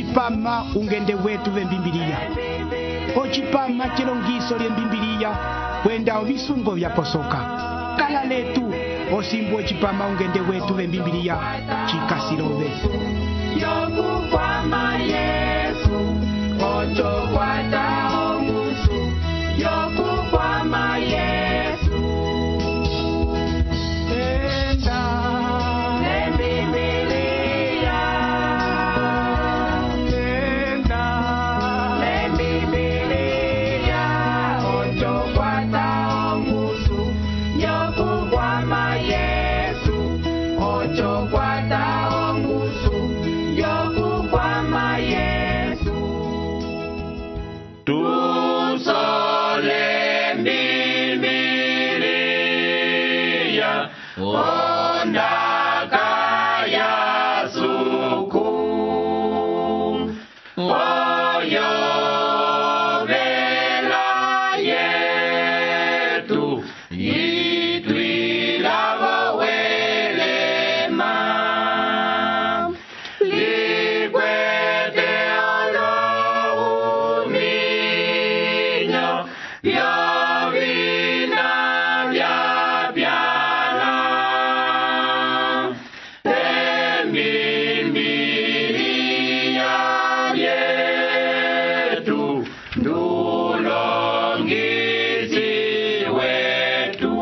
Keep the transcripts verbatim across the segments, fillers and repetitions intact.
ocipama ungende wetu vembimbiliya, ocipama chilongiso lyembimbiliya kwenda ovisungo vyaposoka. Kala letu osimbu ocipama ungende wetu vembimbiliya chikasilove. Yokukwama Yesu, ocho kwata omusu. Yokukwama Yesu, enda lembibiliya, enda lembibiliya, ocho kwata omusu. Yokukwama Yesu, ocho kwata omusu. Yokukwama Yesu, tu sole mbibiliya, ondaka ya suku, oyo vela yetu, itwila welema, likwete olo uminyo, vyovina vyapyala, embimbiliya yetu, ndulongisi wetu,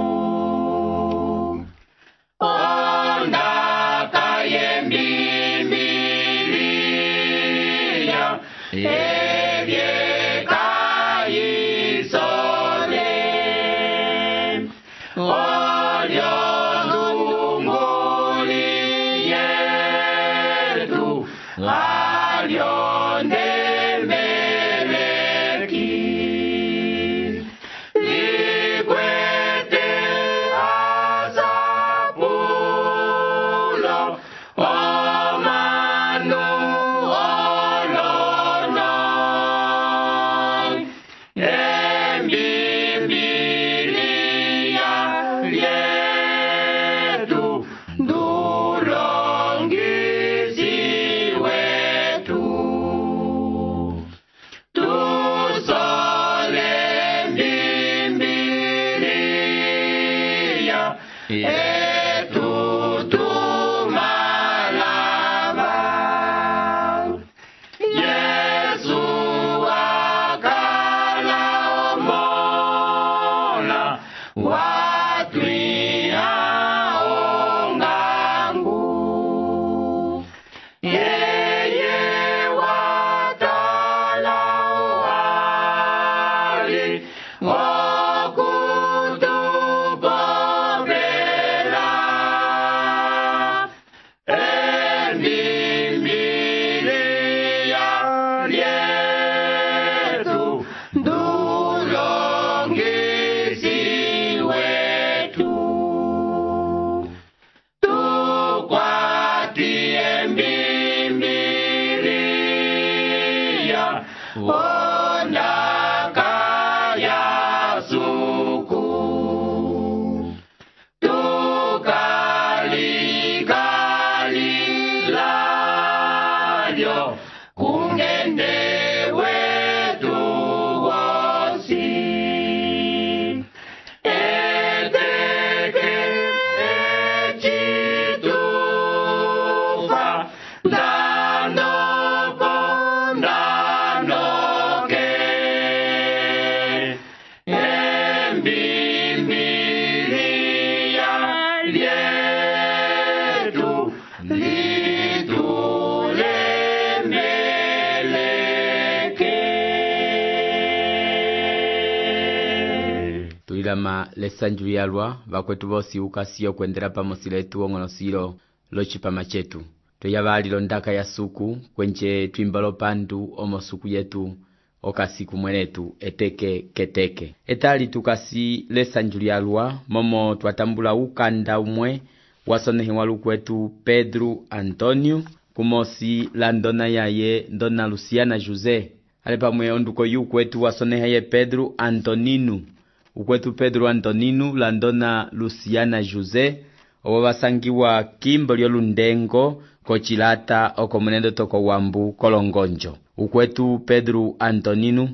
ondaka yembimbiliya, evyekayisole, olyo ndunguli yetu, alyo ndemeleki, likwete asapulo, omanu olono, embimbiliya yetu, ndulongisi wetu, tusole mbimbiliya yetu tumalava. Yesu akala omola, watwiha ongangu, yeye watala wali, okutupopela, embimbiliya yetu, ndulongisi wetu, tukwati embimbiliya, ondaka ya suku, tukalikalilyo, kungende wetu wosi, eteke echitufa, ndanopo ndanoke, embimbiliya yetu, litulemeleke. Tuilama lesanju yalwa vakwetu vosi ukasiyo kwendera pamosi letu ong'onosilo locipama chetu. Tuyavali ndaka ya suku kwenche twimbalo pandu omo suku yetu okasiku mwenetu eteke keteke. Etali tukasi lesanju yalwa momo twatambula ukanda umwe wasonehi walukwetu Pedro Antonio kumosi la ndona yaye ndona Luciana Jose. Ale pamwe onduko yu kwetu wasoneha ye Pedro Antonino. Ukwetu Pedro Antonino la ndona Luciana Jose. Owa basangiwa kimbo lyo lundengo kochilata oko munendo toko wambu kolongonjo. Ukwetu Pedro Antonino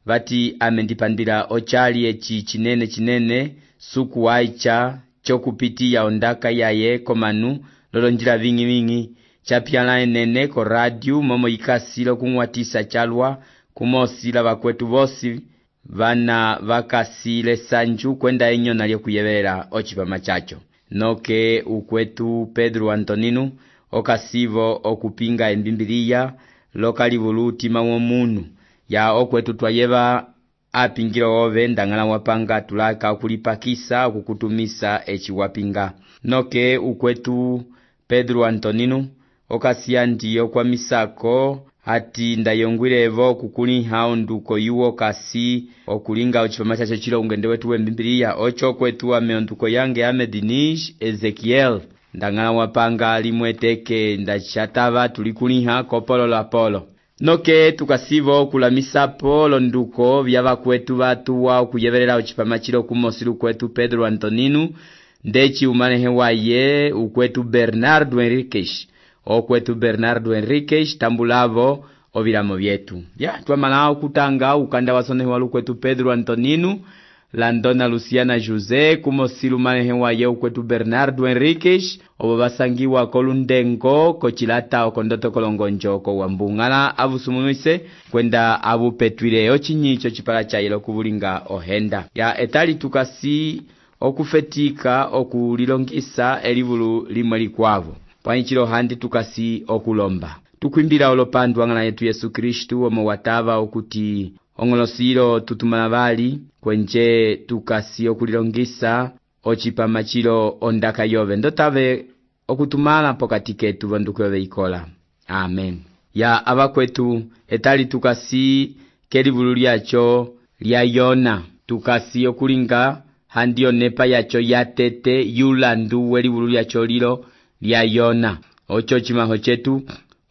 vati amendipandira ochali echi chinene chinene suku waicha chokupitiya ondaka yaye komanu lolonjila vingi vingi chapyala enene ko radio momo ikasilo kumwatisa chalwa kumosila bakwetu bosi vana vakasile sanju kwenda enyo nalyo kuyebera ochipama chacho. Noke ukwetu Pedro Antonino okasivo okupinga embimbiliya lokali voluti mawomunu ya okwetu twayeba apingiro ove ndangala wapanga tulaka kulipakisa kukutumisa echi wapinga. Noke ukwetu Pedro Antonino okasia ndiyo kwa misako ati ndayongwirevo kukuliha onduko yuwo kasi okulinga ochipama chacho chilo ungende wetu wembimbiliya ocho kwetu ameonduko yange Amedinish Ezekiel ndangala wapanga limweteke ndachatava tulikuliha kopolo la polo. Noke tukasivo kulamisa polo nduko vyava kwetu vatu wa ukuyeverera ochipama chilo kumosilu kwetu Pedro Antonino ndechi umanehe waye ukwetu Bernardo Enriquez okwetu Bernardo Enriquez tambulavo ovilamo vyetu. Ya tuamalao kutanga ukanda wasonehe walu kwetu Pedro Antonino Landona Luciana Jose kumosilu manehe waye ukwetu Bernardo Enriquez obo basangiwa kolundengo kochilata okondoto kolongonjo ko wambungala avusumumise kwenda abu petwile ochinyicho chipala chayelo kubulinga ohenda. Ya etali tukasi okufetika okulilongisa elivulu limwe likwavo. Pwanyichilo handi tukasi okulomba. Tukwimbila olopandu wangala yetu Yesu Kristu omo watava okuti ongolosilo tutumana bali kwenje tukasi okulilongisa ochipama chilo ondaka yove ndotave okutumala pokati ketu vanduku yove ikola. Amen. Ya abakwetu etali tukasi kelivulu lyacho lya Yona tukasi okulinga handio nepa yacho yatete yulandu welivulu lyacho lilo lya Yona. Ocho chimaho chetu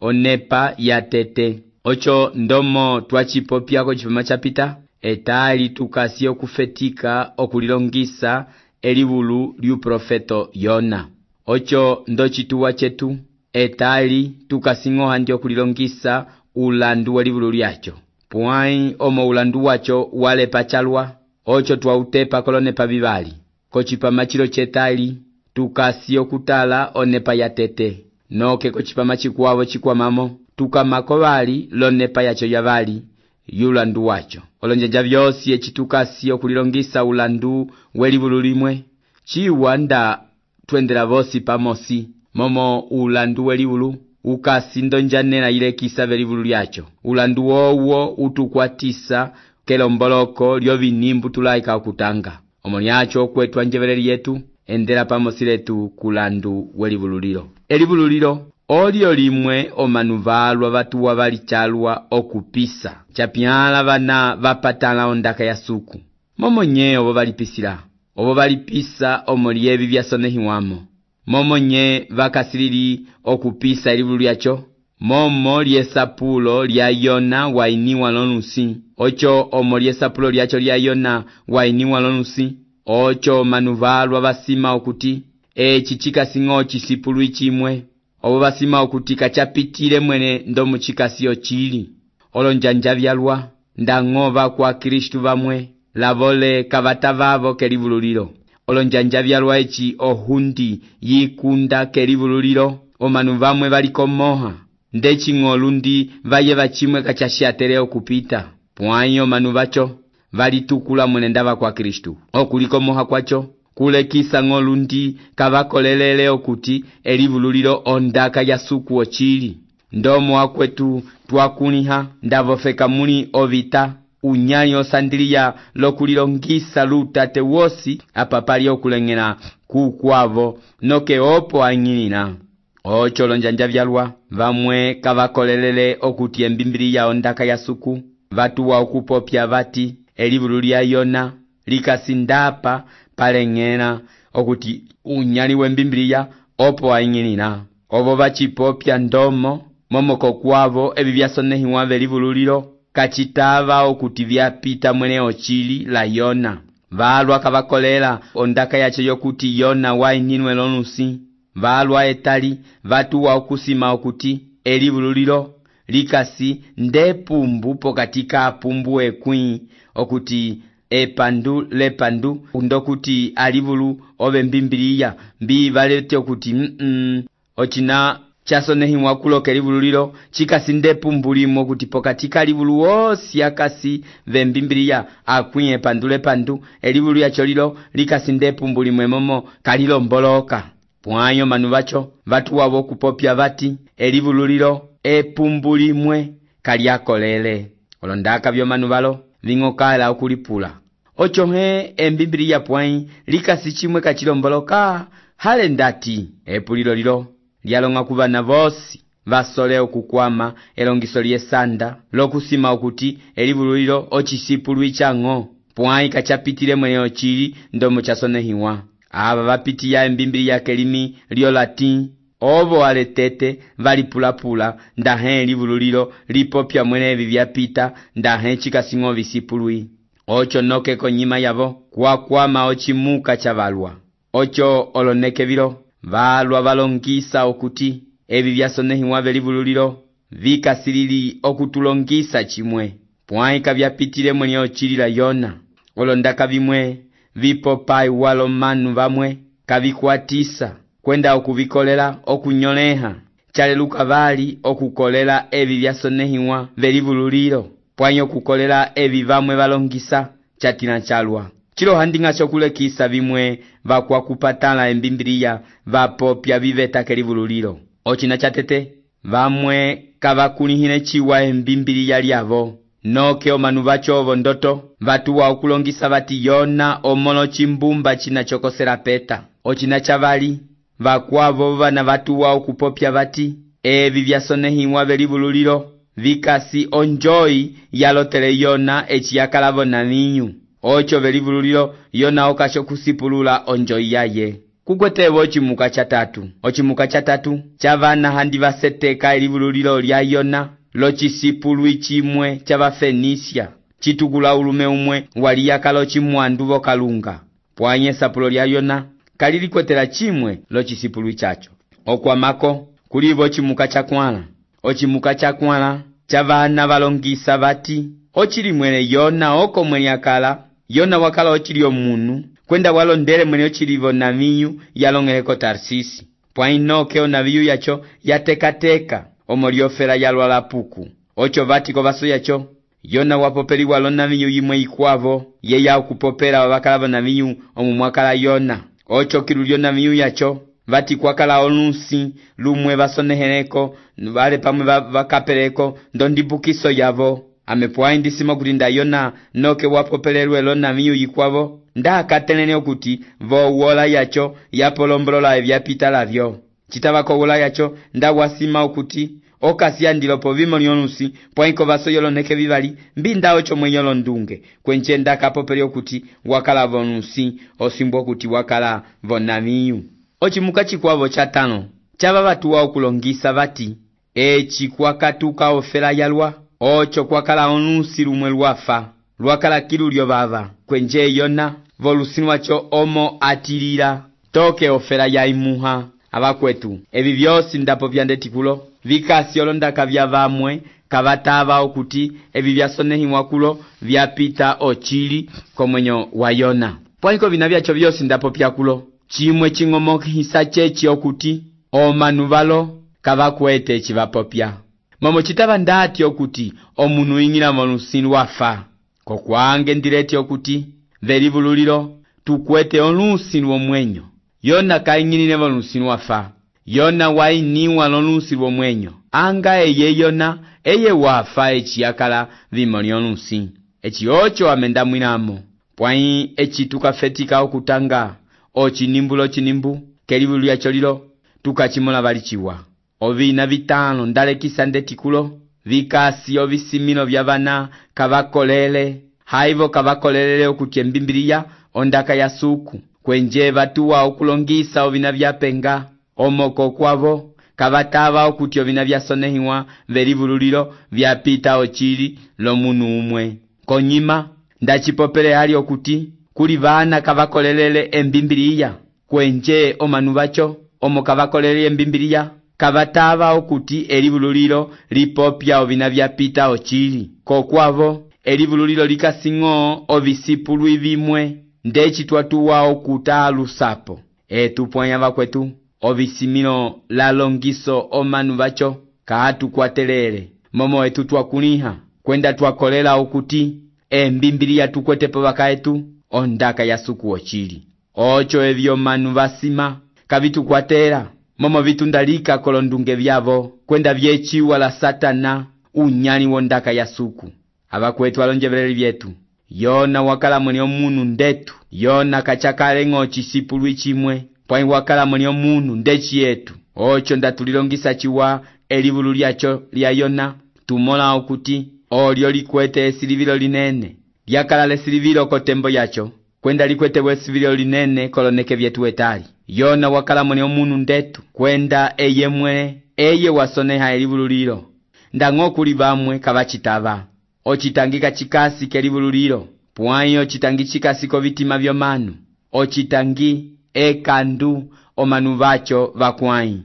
onepa yatete. Ocho ndomo twachipopya ko chipama chapita etali tukasi okufetika okulilongisa elivulu liu profeto Yona. Ocho ndochituwa chetu etali tukasingo handi okulilongisa ulandu welivulu lyacho. Puai omo ulandu wacho wale pachalwa ocho twautepa kolonepa vivali. Kochipama chilo chetali tukasi okutala onepa yatete. Noke kochipama chikuwavo chikwamamo tukamakovali lonepa yacho yavali yulandu wacho. Olonjanja vyosi echitukasi okulilongisa ulandu welivulu limwe chiwanda twendela vosi pamosi momo ulandu welivulu ukasi ndonjanela ile kisa velivulu lyacho. Ulandu wowo utukwatisa kelomboloko lyo vinimbu tulaika okutanga. Omolyacho kwetu anjeveleli yetu endela pamosi letu kulandu welivulu lilo. Elivulu lilo olio limwe omanuvalwa vatuwa valichalwa okupisa. Chapyala vana vapatala ondaka ya suku. Momo nye obo valipisila. Obo valipisa omolievi vyasonehiwamo. Momo nye vakasilili okupisa elivulu lyacho. Momo liesapulo lya Yona wainiwa lonusi. Ocho omo liesapulo lyacho lya Yona wainiwa lonusi. Ocho manuvalwa vasima okuti echi chikasingo chisipulu ichimwe. Obo basima okuti kachapitile mwene ndomu chikasio chili. Olonjanja vyalwa ndangova kwa Kristu vamwe lavole kavatavavo kelivulu lilo. Olonjanja vyalwa echi ohundi yikunda kelivulu lilo omanu vamwe valikomoha ndechi ngolundi vaye vachimwe kachashiatere okupita. Puanyo manu vacho valitukula mwene ndava kwa Kristu okulikomoha kwacho kulekisa ngolundi kavakolelele okuti elivulu lilo ondaka ya suku ochili. Ndomo akwetu twakuniha ndavofeka muli ovita unyali osandiliya lokulilongisa lutate wosi apapali okulengela kukwavo noke opo angilina. Ocho lonjanja vyalwa vamwe kavakolelele okuti embimbiliya ondaka ya suku vatuwa okupopya vati elivulu lya Yona likasindapa palengela okuti unyali wembimbiliya opo angilina. Obo vachipopya ndomo momoko kwavo ebi byasonehiwa velivulu lilo kachitava okuti vyapita mwene ochili la Yona. Valwa kavakolela ondaka yacho yokuti Yona waininwe lonusi. valwa etali vatuwa okusima okuti elivululilo likasi ndepumbu pokati ka pumbu ekwĩ okuti epandu lepandu ndokuti alivulu ove mbimbiliya mbi valete okuti mm -mm, ochina chasonehiwa kuloka elivululilo chikasi ndepumbu limo kuti pokati ka livulu wosi akasi vembimbiliya akwĩ epandu lepandu elivulu yacho lilo likasi ndepumbu limwe momo kalilomboloka. Pwayo manu vacho vatuwa vokupopya vati elivululilo epumbu limwe kalyakolele olondaka vyo manu valo ving'okala okulipula ocho he embimbiliya pwai likasi chimwe kachilomboloka hale ndati epulilo lilo lyalonga kuvana vosi vasole okukwama elongiso lyesanda lokusima okuti elivululilo ochisipulu icang'o pwai kachapitile mwene ochili ndomo chasonehiwa ava vapitiya embimbiliya kelimi lyo latin ovo aletete valipulapula ndahe elivululilo lipopya mwene evi vyapita ndahe chikasing'o visipului ocho noke konyima yavo kwakwama ochimuka chavalwa ocho oloneke vilo valwa valongisa okuti evi vyasonehiwa velivululilo vikasilili okutulongisa chimwe pwai kavyapitile mwene ochilila Yona olondaka vimwe vipopai walo manu vamwe kavikwatisa kwenda okuvikolela okunyoleha chaleluka vali okukolela evi vyasonehiwa velivululilo pwai okukolela evi vamwe valongisa chatina chalwa chilo handinga chokulekisa vimwe vakwakupatala embimbiliya vapopya viveta kelivululilo ochina chatete vamwe kavakulihile chiwa embimbiliya lyavo noke omanu vacho ovo ndoto vatuwa okulongisa vati Yona omolo chimbumba china chokosela peta ochina chavali vakwavo vana vatuwa okupopya vati evi vyasonehiwa velivululilo vikasi onjoyi yalotele Yona echiyakalavo na ninyu ocho velivululilo Yona okasho kusipulula onjoyi yaye kukwetevo ochimuka chatatu ochimuka chatatu chavana handi vaseteka elivululilo lya Yona lochisipulu chimwe chava Fenisia chitugula ulume umwe waliyakalo chimwandu vokalunga pwanye sapulo lya Yona kalilikwetela chimwe lochisipulu chacho okwamako kulivo chimuka chakwala ochimuka chakwala chavana valongisa vati ochili mwene Yona oko mwene akala Yona wakala ochili omunu kwenda walondele mwene ochilivo naviyu yalongeleko Tarsisi pwai noke onaviyu yacho yatekateka omoliofera yalwa la puku ocho vati kovaso yacho Yona wapopeli walo naviyu yimwe ikwavo yeya okupopela wabakalavo naviyu omumwakala Yona ocho kilulyo naviyu yacho vati kwakala olusi lumwe vasoneheleko vale pamwe vakapeleko ndondibukiso yavo amepwai ndisima kuti nda Yona noke wapopelelwe lo naviyu yikwavo nda akatelene okuti vowola yacho yapolombolola evyapita lavyo chitavako wola yacho nda wasima okuti okasi andilopo vimo lyolusi pwaiko vaso yoloneke vivali mbinda ocho mwe yolondunge kwenche nda kapopeli okuti wakala vonusi osimbo okuti wakala vonaviyu ochimuka chikwavo chatano chava vatuwa okulongisa vati echi kwakatuka ofela yalwa ocho kwakala onusi lumwe lwafa lwakala kilulyo vava kwenje Yona volusi wacho omo atilila toke ofela yaimuha abakwetu evi vyosi ndapo vyandetikulo vikasi olondaka vya vamwe kavatava okuti evi vyasonehiwa kulo vyapita ochili komwenyo wa Yona pwaiko vina vyacho vyosi ndapo pyakulo chimwe ching'omokisa chechi okuti omanu valo kavakwete echivapopya momo chitava ndati okuti omunu ing'ila volusi wafa kokwange ndireti okuti velivululilo tukwete olusi lwomwenyo Yona kaing'ilile volusi wafa Yona wainiwa lolusi lwomwenyo anga eye Yona eye wafa echiyakala vimo lyolusi echi ocho amendamwilamo pwai echi tukafetika okutanga ochinimbulo chinimbu kelivulu lyacho lilo tukachimola valichiwa ovina vitano ndalekisa ndetikulo vikasi ovisimilo vya vana kavakolele haivo kavakolelele okuti embimbiliya ondaka ya suku kwenje vatuwa okulongisa ovina vyapenga omoko kwavo kavatava okuti ovina vyasonehiwa velivululilo vyapita ochili lomunu umwe konyima ndachipopele hali okuti kuli vana kavakolelele embimbiliya kwenje omanu vacho omo kavakolele embimbiliya kavatava okuti elivululilo lipopya ovina vyapita ochili kokwavo elivululilo likasing'o ovisipulwi vimwe ndeci twatuwa okuta alusapo etupwanya vakwetu ovisimilo lalongiso omanu vacho kaatukwatelele momo etu twakuliha kwenda twakolela okuti embimbiliya tukwetepo vakaetu ondaka ya suku ochili ocho evyo manu vasima kavitukwatela momo vitundalika kolondunge vyavo kwenda vyechiwa la satana unyali wondaka ya suku avakwetu alonjeveleli vyetu yona wakala mwene omunu ndetu yona kachakale ng'o chisipulwi chimwe pwai wakala mwene omunu ndechi yetu ocho ndatulilongisa chiwa elivulu lyacho lya Yona tumola okuti olyo likwete esilivilo linene lyakala lesilivilo kotembo yacho kwenda likwete wesilivilo linene koloneke vyetu etali Yona wakala mwene omunu ndetu kwenda eye mwe eye wasoneha elivulu lilo ndang'o kuli bamwe kavachitava ochitangika chikasi kelivulu lilo pwayo chitangi chikasi kovitima vyomanu ochitangi ekandu omanu vacho vakwai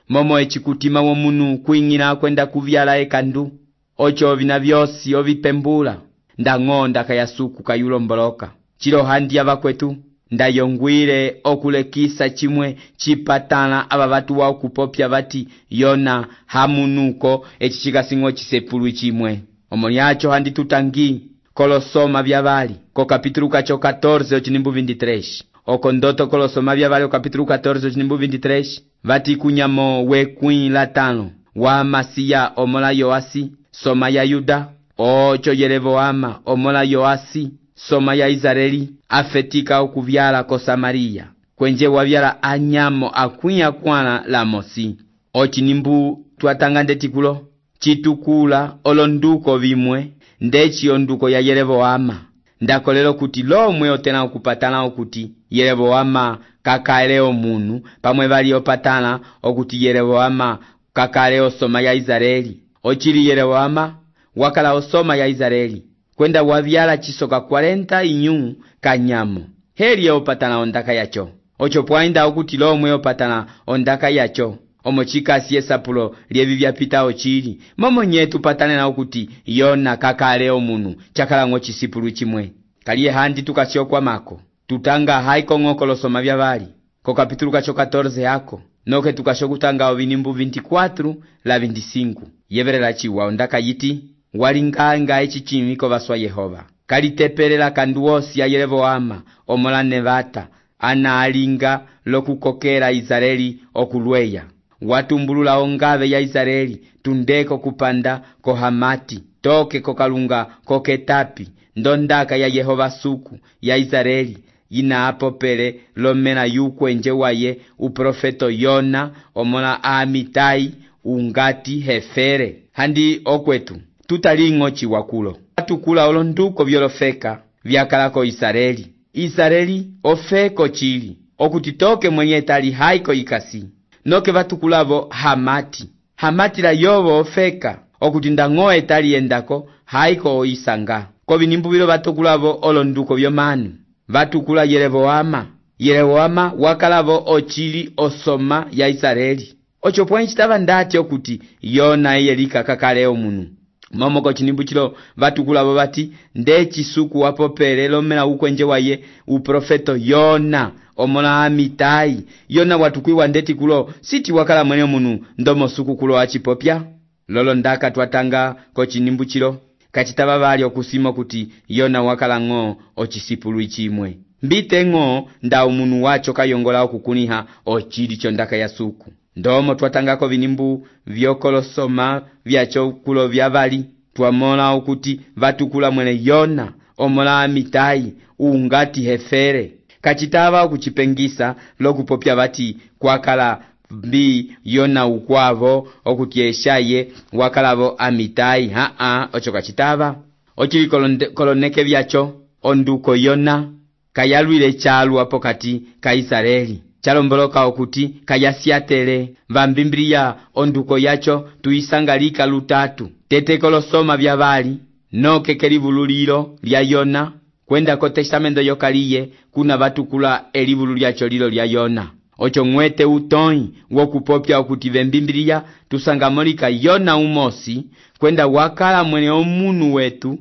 momo echikutima womunu kuing'ila kwenda kuvyala ekandu ocho vina vyosi ovipembula ndang'o ndaka ya suku kayulomboloka chilo handi avakwetu ndayongwile okulekisa chimwe chipatala aba batu wa kupopya bati Yona hamunuko echichikasing'o chisepulwi chimwe omolyacho handi tutangi kolosoma byabali ko kapitulu kacho catorze ochinimbu veintitrês oko ndoto kolosoma byabali ko kapitulu catorze ochinimbu veintitrês bati kunyamo wekwin latano wa Masiya omola Yoasi soma ya Yuda ocho Yeroboama omola Yoasi soma ya Israeli afetika okuvyala ko Samaria kwenje wavyala anyamo akwinya kwana la mosi ochinimbu twatanga ndetikulo chitukula olonduko vimwe ndechi onduko ya Yeroboama ndakolelo kuti lomwe otena okupatana okuti Yeroboama kakale omunu pamwe bali opatana okuti Yeroboama kakale osoma ya Israeli ochili Yeroboama wakala osoma ya Israeli kwenda wavyala chisoka cuarenta inyu kanyamo heli opatana ondaka yacho ocho pwainda okuti lomwe opatana ondaka yacho omochikasi esapulo lievi vyapita ochili momo nyetu patane na okuti Yona kakale omunu chakala ng'o chisipulu chimwe kaliye handi tukasiokwa mako tutanga haiko ng'o kolosoma byabali ko kapitulu kacho catorze yako noke tukashokutanga ovinimbu veintiquatro la veinticinco yeverela chiwa ondaka yiti walinganga echichimiko baswa Yehova kalitepelela kanduosi ya Yeroboama omola Nevata ana alinga lokukokera Israeli okulweya watumbulula ongave ya Israeli tundeko kupanda ko Hamati toke kokalunga koketapi ndondaka ya Yehova suku ya Israeli ina apopele lomena yukwenje waye uprofeto Yona omola Amitai ungati hefere handi okwetu tutalingo chiwakulo atukula olonduko byolofeka vyakalako Israeli Israeli ofeko chili okutitoke mwenye tali haiko ikasi noke vatukulavo Hamati Hamati la yobo ofeka okutindang'o etali endako haiko oisanga ko vinimbu bilo vatukulavo olonduko byomanu vatukula Yeroboama Yeroboama wakalavo ochili osoma ya Israeli ocho pwenye chitava ndati okuti Yona eyelika kakale omunu momo ko chinimbu chilo vatukulavo bati ndechi suku wapopele lomela ukwenje waye uprofeto Yona omola Amitai Yona watukwiwa ndeti kulo siti wakala mwene munu ndomo suku kulo achipopya lolo ndaka twatanga ko chinimbu chilo kachitaba bali okusimo kuti Yona wakala ng'o ochisipulu chimwe mbite ng'o nda umunu wacho kayongola okukuniha ochili chondaka ya suku ndomo twatangako vinimbu vyokolosoma vyacho kulo vyabali twamola okuti vatukula mwene Yona omola Amitai ungati hefere kachitava okuchipengisa lokupopya bati kwakala mbi Yona ukwavo okuti eshaye wakalavo Amitai haa ocho kachitava ochili koloneke vyacho onduko Yona kayalwile chalu apokati ka Israeli chalomboloka okuti kayasiatele vambimbriya onduko yacho tuisangalika lutatu tete kolosoma byabali noke kelivululilo lya Yona kwenda ko testamento yokaliye kuna vatukula elivulu lyacho lilo lya Yona ocho ng'wete utoi wokupopya okuti vembimbiliya tusangamolika Yona umosi kwenda wakala mwene omunu wetu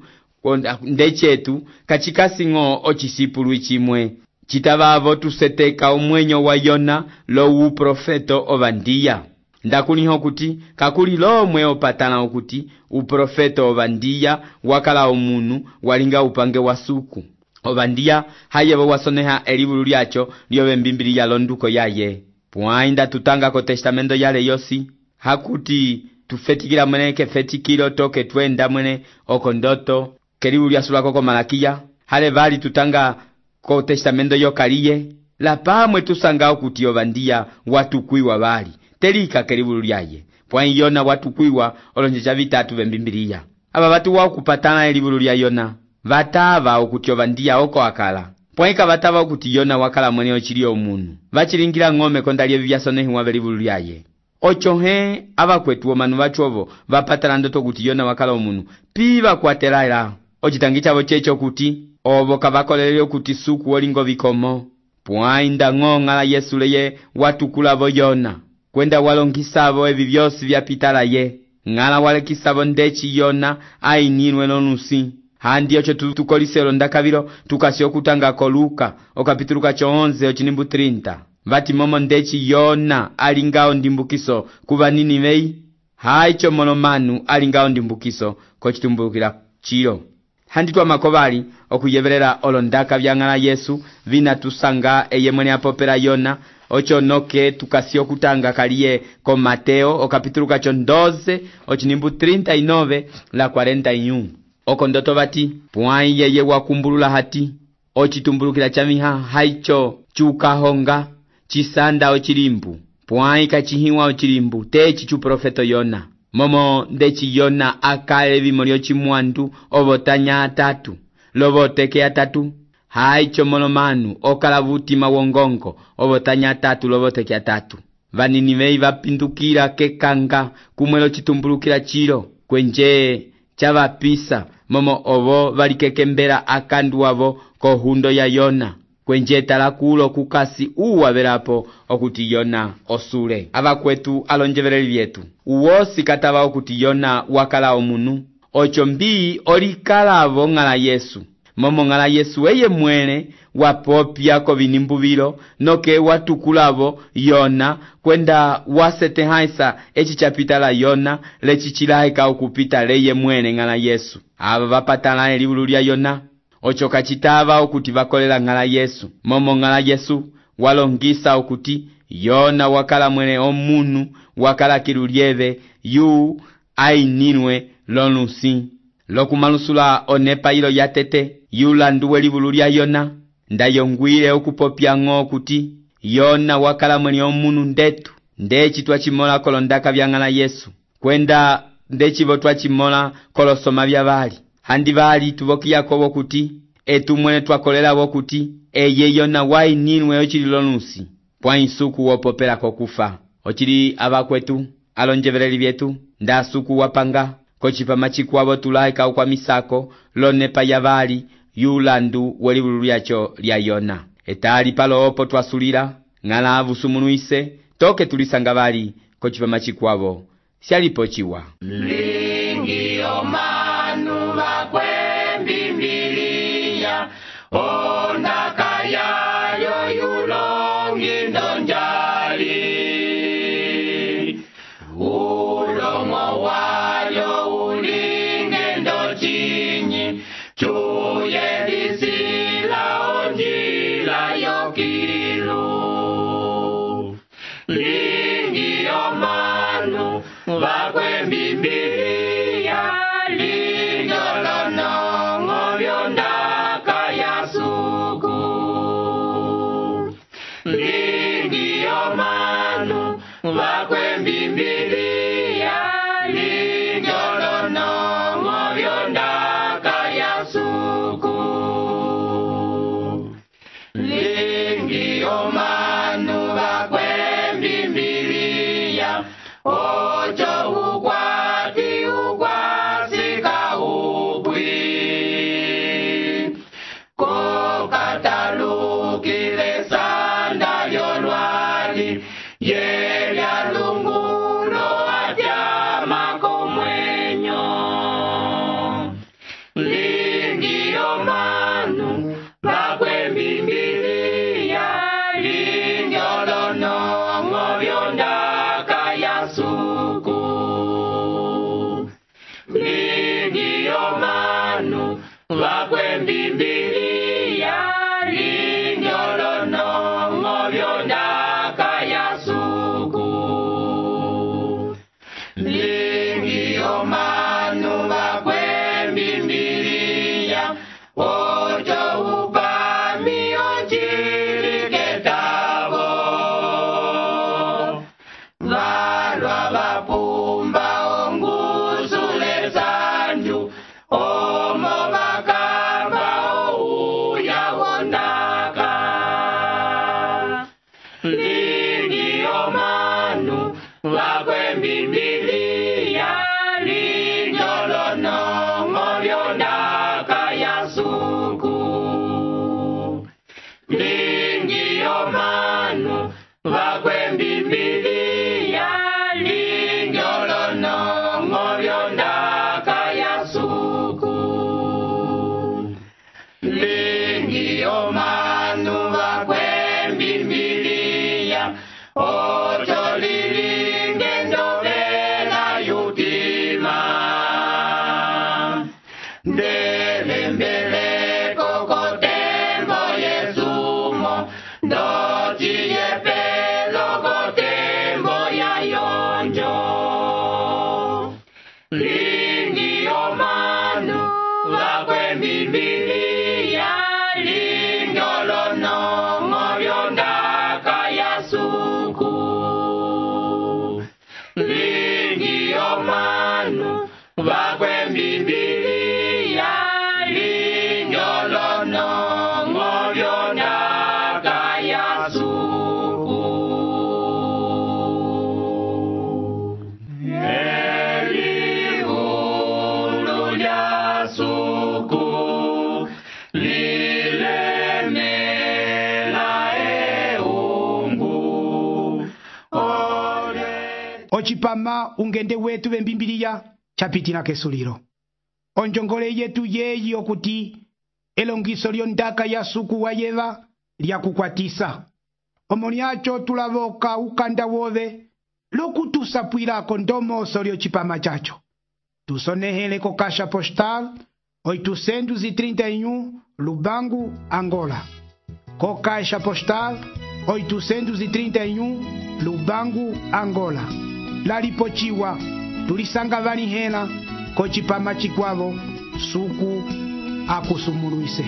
ndechetu kachikasing'o ochisipulu chimwe chitavavo tuseteka umwenyo wa Yona lo uprofeto ovandiya ndakuliho kuti kakuli lomwe opatana okuti uprofeto ovandiya wakala omunu walinga upange wa suku ovandiya hayebo wasoneha elivulu lyacho lyobe mbimbiliya londuko yaye pwainda tutanga ko testamento yale yosi hakuti tufetikila mwene kefetikilo toke twenda mwene okondoto kelivulu lyasulako ko Malakiya hale vali tutanga ko testamento yokaliye la pamwe tusanga okuti ovandiya watukwiwa vali telika kelivulu lyaye pwai Yona watukwiwa olonjeja vitatu vembimbiliya aba batu wa kupatana elivulu lya Yona vatava okuti ovandiya oko akala pwaika vatava okuti Yona wakala mwene ochili omunu vachilingira ng'ome kondalye vyasonehiwa velivulu lyaye ocho he abakwetu omanu bachovo vapatana ndoto kuti Yona wakala omunu piva kwatelala ochitangi chavo checho kuti ovo kavakolele okuti suku olingo vikomo pwainda ng'ong'ala Yesu leye watukulavo Yona kwenda walongisavo evi vyosi vyapitala ye ng'ala walekisavo ndechi Yona ainilwe nonusi handi ocho tukoliselo ndakavilo tukasi okutanga ko Luka okapituluka cho onze ochinimbu trinta vati momo ndechi Yona alingao ndimbukiso kuva Ninivei haicho molomanu alingao ndimbukiso kochitumbukila chilo handi twa makovali okuyeverera olondaka vya ng'ala Yesu vina tusanga eye mwene apopera Yona ocho noke tukasi okutanga kaliye ko Mateo okapituluka cho doze ochinimbu trinta y nueve la cuarenta y uno okondoto vati pwai yeye wakumbulula hati ochitumbulukila chamiha haicho chukahonga chisanda ochilimbu pwai kachihiwa ochilimbu techi chu profeto Yona momo ndechi Yona akale vimolio chimwandu ovotanya atatu lovoteke atatu haicho molomanu okala vutima wongongo ovotanya atatu lovoteke atatu Vaninivei vapindukira kekanga kumwelo chitumbulukila chilo kwenje chavapisa momo ovo valikekembera akandu wavo kohundo ya Yona kwenje talakulo kukasi uwa verapo okuti Yona osule abakwetu alonjevereli vyetu uwosi katava okuti Yona wakala omunu ocho mbii olikalavo ng'ala Yesu momo ng'ala Yesu eye mwene wapopya ko vinimbuvilo noke watukulavo Yona kwenda wasetehaisa echi chapitala Yona lechichilahika okupita leye mwene ng'ala Yesu aba vapatana elivulu lya Yona ocho kachitava okuti vakolela ng'ala Yesu momo ng'ala Yesu walongisa okuti Yona wakala mwene omunu wakala kilulyeve yu ainilwe lonusi lokumalusula onepa ilo yatete yulanduwe livulu lya Yona ndayongwile okupopya ng'o okuti Yona wakala mwene omunu ndetu ndechi twachimola kolondaka vya ng'ala Yesu kwenda ndechivo twachimola kolosoma vya vali handi vali tuvokiyako wokuti etu mwene twakolela wokuti eye Yona wainilwe ochili lonusi pwai suku wopopela kokufa ochili abakwetu alonjevereli vyetu nda suku wapanga kochipa machikwavo tulaika kwa misako lonepa ya vali yulandu welivulu lyacho lya Yona etali palo opo twasulira ng'ala avusumunuise toke tulisanga vali kochipa machikwavo syalipo chiwa lingi omanu bakwembimbiliya ondaka yayo yulongi ndonjali ulomo wayo ulinge ndochinyi chuye lisila onjila yokilu lingi omanu bakwembimbiliya lingolonongo vyondaka ya suku lingi omanu bakwembimbiliya lingolonongo vyondaka ya suku lingi omanu bakwembimbiliya ocho ukwati ukwasika upwi kokatalukile sanda lyolwali Biblia linyolonongo lyondaka ya suku lingi omanu vakwe Biblia linyolonongo lyondaka ya suku lingi omanu vakwe Biblia ocho lilinge ndovela yutima ndelembeleko kotembo yesumo ndociyepelo kotembo ya yonjo lingi omanu vakwe Biblia linyolonongo lyondaka ya suku lingi omanu vakwe Biblia linyolonongo lyondaka ya suku elihulu lya suku lilemela eungu ole ocipama ungende wetu vembimbiliya chapitila kesulilo onjongole yetu yeyi okuti elongiso lyondaka ya suku wayeva lyakukwatisa omo lyacho tulavoka ukanda wove lokutusapwilako ndomoso lyocipama chacho tusonehele ko kasha postal oitocentos e trinta e um Lubango, Angola. Co caixa postal oitocentos e trinta e um Lubango, Angola. Lalipochiwa tulisanga vanihela kochipama chikwavo suku akusumuluise.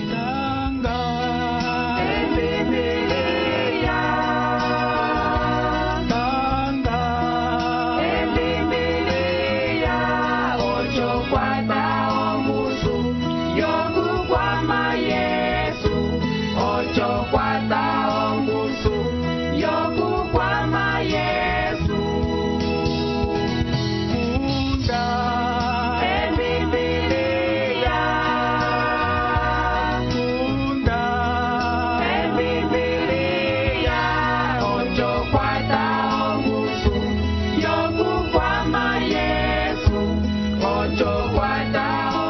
Ocho, cuatro,